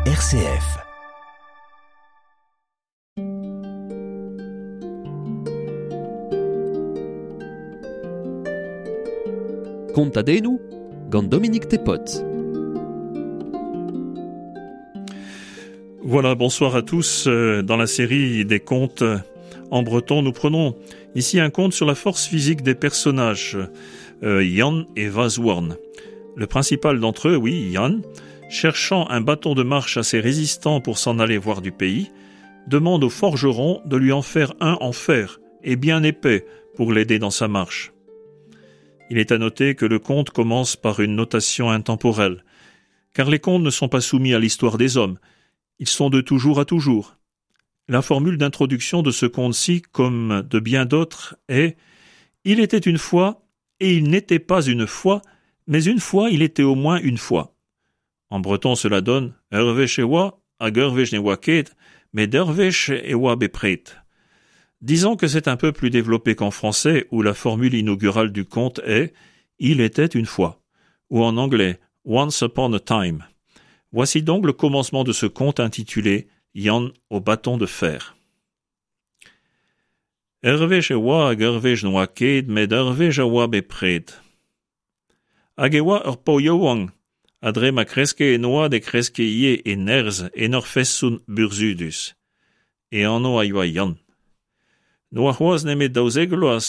RCF. Kontadennoù gant Dominique Tepot. Voilà, bonsoir à tous. Euh, dans la série des contes en breton, nous prenons ici un conte sur la force physique des personnages, euh, Yann et Vazhouarn. Le principal d'entre eux, oui, Yann, cherchant un bâton de marche assez résistant pour s'en aller voir du pays, demande au forgeron de lui en faire un en fer et bien épais pour l'aider dans sa marche. Il est à noter que le conte commence par une notation intemporelle, car les contes ne sont pas soumis à l'histoire des hommes, ils sont de toujours à toujours. La formule d'introduction de ce conte-ci, comme de bien d'autres, est Il était une fois, et il n'était pas une fois, mais une fois il était au moins une fois. En breton cela donne Ur wech e oa, hag ur wech ne oa ket, met ur wech e oa bepred. Disons que c'est un peu plus développé qu'en français où la formule inaugurale du conte est Il était une fois, ou en anglais Once upon a time. Voici donc le commencement de ce conte intitulé Yann au bâton de fer. Ur wech e oa hag ur wech n'oa ket, met ur wech a oa bepred. Hag e oa ur paotr yaouank, ha dre ma kreske en oad e kreske ivez e nerzh en ur feson burzhudus. E anv a yoa Yann. N'oa c'hoazh nemet 12 vloaz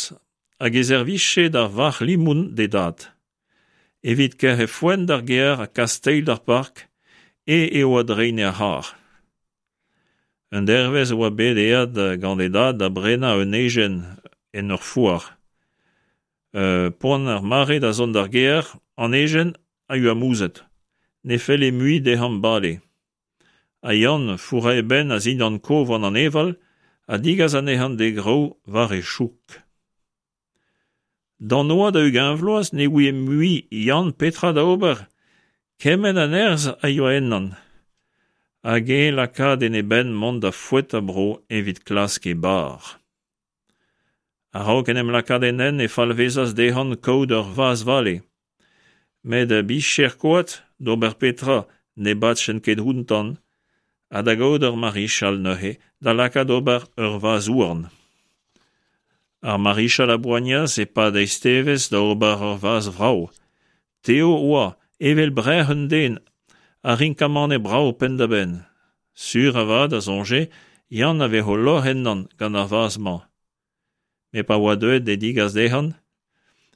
hag e servije da varc'h-limoun d'e dad. Evit kerc'h e foenn d'ar gêr ha kas teil d'ar park e eo a dreine ar c'harr. Un dervezh e oa bet aet gant e dad da brenañ un ejen en ur foar. Poan ar mare da zont d'ar gêr, an ejen a yoa mouzhet. Ne felle mui dezhañ bale. Ha Yann fourrañ e benn a-zindan kof an aneval ha degas anezhañ d'e graou war e chouk. D'an oad a 20 vloaz ne ouie mui Yann petra da ober, kement a nerzh a yoa ennañ. Hag eñ lakaat en e benn mont da foetañ bro evit klask e bar. A-raok en em lakaat en hent e falvezas dezhañ kaout ur vazh-vale. Met bicher koad, d'ober petra, ne badjent ket outañ, ha da gaout ur marichal neuze da lakaat ober ur vazh-houarn. Ar marichal a boanias e-pad eizhtevez da ober ur vazh vrav. Tev oa, evel brec'h un den, ha rinkamane brav penn-da-benn. Sur avat, a soñje, Yann a vezo lorc'h ennañ gant ar vazh-mañ. Met pa oa deuet d'he degas dezhañ,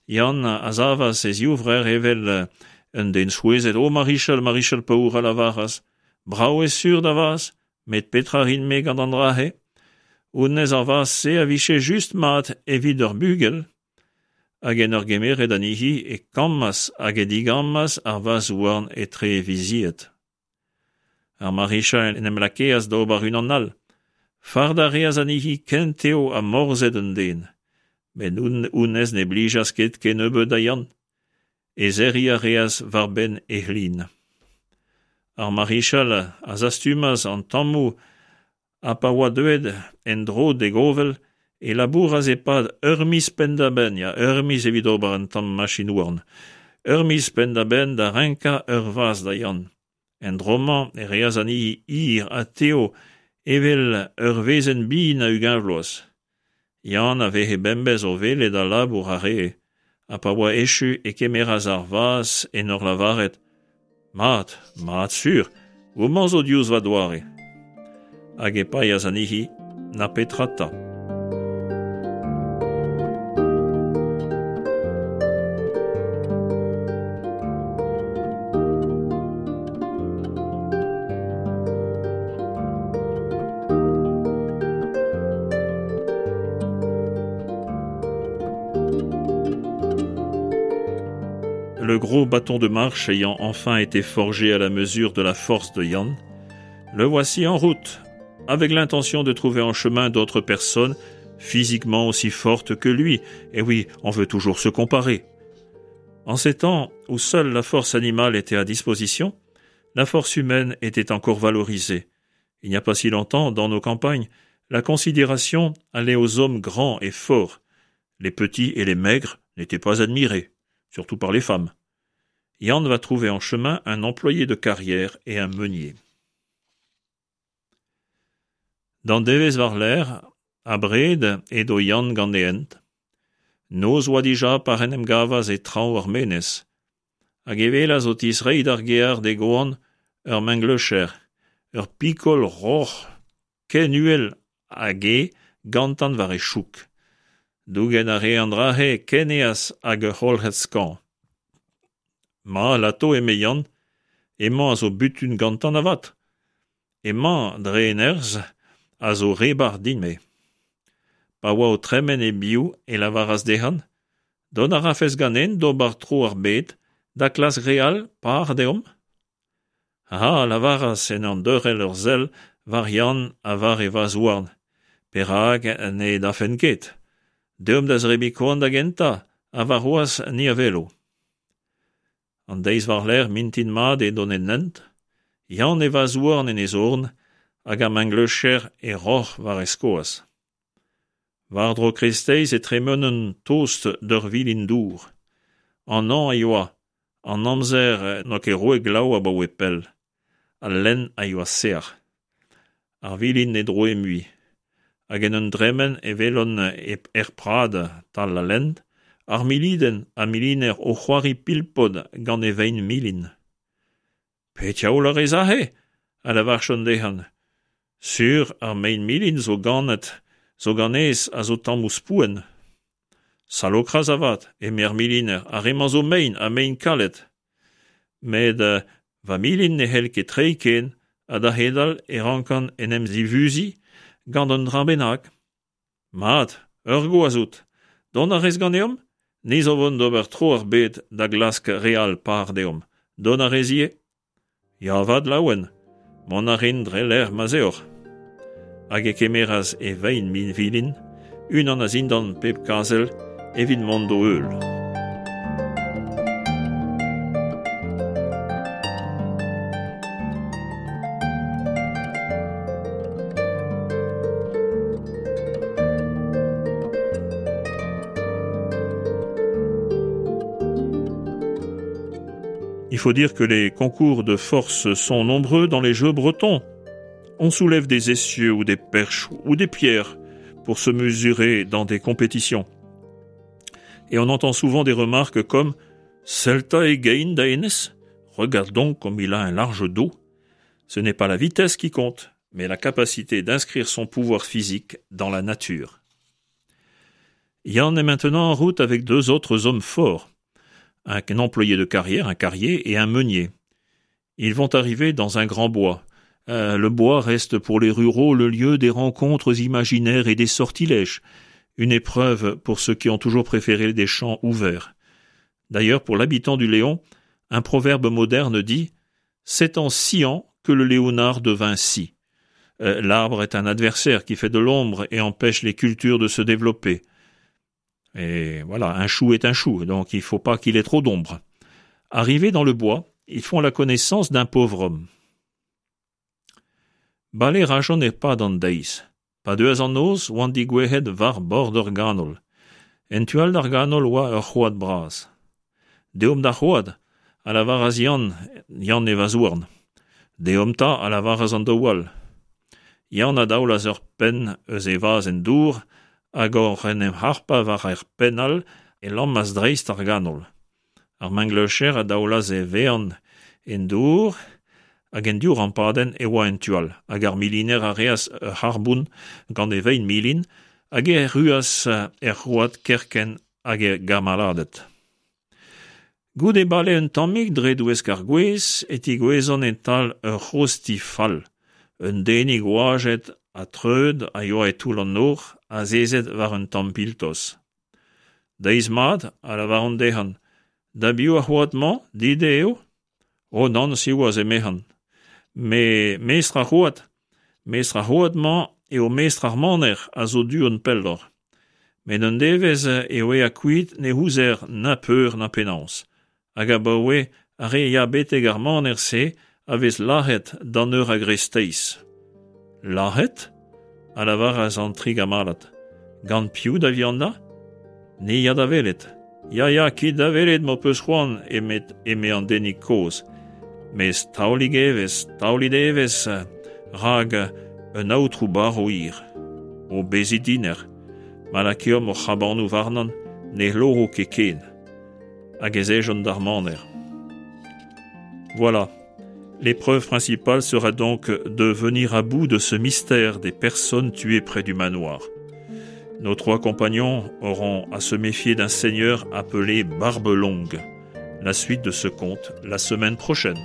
Yann a savas e zivrec'h evel un den souezhet. O marichal, marichal paour, a lavaras, brav eo sur da vazh, met petra 'rin-me gant an dra-se? Honnezh ar vazh-se a vije just mat evit ur bugel. Hag en ur gemeret anezhi e kammas hag e digammas ar vazh-houarn etre e vizied. Ar marichal en em lakeas d'ober unan all. Fardañ a reas anezhi ken tev ha morzhed un den. Met honnezh ne blijas ket kennebeut da Yann. He serriñ a reas war-benn e c'hlin. Ar marichal a zastumas an tammoù ha pa oa deuet en-dro d'e govel e labouras e-pad ur miz penn-da-benn, ya, ur miz evit ober un tamm machin-houarn, ur miz penn-da-benn da renkañ ur vazh da Yann. En dro-mañ e reas anezhi hir ha tev evel ur wezenn bin a 20 vloaz. Yann a veze bemdez o welet al labour a rae, ha pa oa echu e kemeras ar vazh en ur lavaret Mat, mat sur, homañ zo diouzh va doare. Hag e paeas anezhi, na petra 'ta. Le gros bâton de marche ayant enfin été forgé à la mesure de la force de Yann, le voici en route, avec l'intention de trouver en chemin d'autres personnes physiquement aussi fortes que lui. Et oui, on veut toujours se comparer. En ces temps où seule la force animale était à disposition, la force humaine était encore valorisée. Il n'y a pas si longtemps, dans nos campagnes, la considération allait aux hommes grands et forts. Les petits et les maigres n'étaient pas admirés, surtout par les femmes. Yann va trouver en chemin un employé de carrière et un meunier. D'an devezh war-lerc'h, abred, edo Yann gant e hent. Noz oa dija pa en em gavas e traoñ ar menez. Hag e welas o tistreiñ d'ar gear d'e goan ur mengleucher, ur pikol roc'h ken uhel hag e gantan war e chouk. Dougen a rae an dra-se ken aes hag ur c'holc'hed skañv. Ma, 'lato, eme Yann, hemañ a zo butun gantan avat. Hemañ, dre e nerzh, a zo re bar din-me. Pa oa o tremen e-biou e lavaras dezhañ Dont a rafes ganen d'ober tro ar bed da klask re all par deomp ? Ha a lavaras en ur deurel ur sell war Yann ha war e vazh-houarn, perak ne dafen ket ? Deomp da zebriñ koan da gentañ ha warc'hoazh ni a welo. An deiz war-lerc'h mintin mat edont en hent, Yann e vazh-houarn en e zorn hag ar mengleucher e roc'h war e skoaz. War-dro kreisteiz e tremenent tost d'ur vilin-dour. An hañv a yoa, an amzer n'oa ket roet glav abaoe pell. Al lenn a yoa sec'h. Ar vilin ne droe mui. Hag en un dremen e welont er prad 'tal al lenn, ar milidenn ha miliner o c'hoari pilpod gant e vein milin. Pet diaoul a rez aze ? a lavarjont dezhañ. Sur, ar mein milin zo ganet zo ganez a zo tammoù spouenn. Salokras avat, eme ar miliner, ar re-mañ zo mein ha mein kalet. Met va milin ne c'hell ket treiñ ken ha da c'hedal e rankan en em zivuziñ gant un dra bennak. Mat, ur gwaz out. Dont a rez ganeomp ? Ni zo 'vont d'ober tro ar bed da glask re all par deomp. Dont a rez ivez ? Ya avat, laouen. Mont a rin dre lec'h ma'z eoc'h. Hag e kemeras e vein vilin, unan a-zindan pep kazel, evit mont d'o heul. Il faut dire que les concours de force sont nombreux dans les jeux bretons. On soulève des essieux ou des perches ou des pierres pour se mesurer dans des compétitions. Et on entend souvent des remarques comme Celta et Gain da Regarde donc comme il a un large dos. Ce n'est pas la vitesse qui compte, mais la capacité d'inscrire son pouvoir physique dans la nature. Yann est maintenant en route avec deux autres hommes forts, un employé de carrière, un carrier et un meunier. Ils vont arriver dans un grand bois. Euh, le bois reste pour les ruraux le lieu des rencontres imaginaires et des sortilèges, une épreuve pour ceux qui ont toujours préféré des champs ouverts. D'ailleurs, pour l'habitant du Léon, un proverbe moderne dit C'est en sciant que le Léonard devint scie. Euh, l'arbre est un adversaire qui fait de l'ombre et empêche les cultures de se développer. Et voilà, un chou est un chou, donc il faut pas qu'il ait trop d'ombre. Arrivés dans le bois, ils font la connaissance d'un pauvre homme. Bale rajont e-pad an deiz. Pa deuas an noz oant digouezhet war bord ur ganol. En tu all d'ar ganol oa ur c'hoad bras. Deomp d'ar c'hoad, a lavaras Yann, Yann e vazhouarn. Deomp 'ta, a lavaras an daou all. Yann a daolas ur penn eus e vazh en dour hag oc'h en em harpañ war ar penn all e lammas dreist ar ganol. Ar mengleucher a daolas e vean en dour hag en div rampadenn e oa en tu all hag ar miliner a reas ur c'harrbont gant e vein milin hag e erruas er c'hoad kerkent hag e gamaladed. Goude bale un tammig dre douesk ar gwez e tigouezont e-tal ur c'hozh ti fall. Un denig oajet ha treut a yoa e toull an nor, azezet war un tamm piltos. Deiz mat, a lavaront dezhañ, da biv ar c'hoad-mañ, dit eo ? O nann, siwazh, emezhan. Me mestr ar c'hoad, mestr ar c'hoad-mañ eo mestr ar maner a zo du-hont pelloc'h. Met un devezh eo aet kuit ne ouzer na peur na penaos. Hag abaoe ar re a ya betek ar maner-se a vez lazhet d'an eur a greisteiz. Lazhet ? a lavaras an tri gamalad. Gant piv da vihanañ ? Ni ya da welet. Ya, ya, kit da welet m'ho peus c'hoant, eme, eme an denig kozh. Mes taolig evezh, taolit evezh, rak un aotrou barv hir. O bezit dinec'h, ma lakeomp hor c'hrabanoù warnan ne c'hloro ket ken. Hag ez ejont d'ar maner. Voilà. L'épreuve principale sera donc de venir à bout de ce mystère des personnes tuées près du manoir. Nos trois compagnons auront à se méfier d'un seigneur appelé Barbe Longue. La suite de ce conte la semaine prochaine.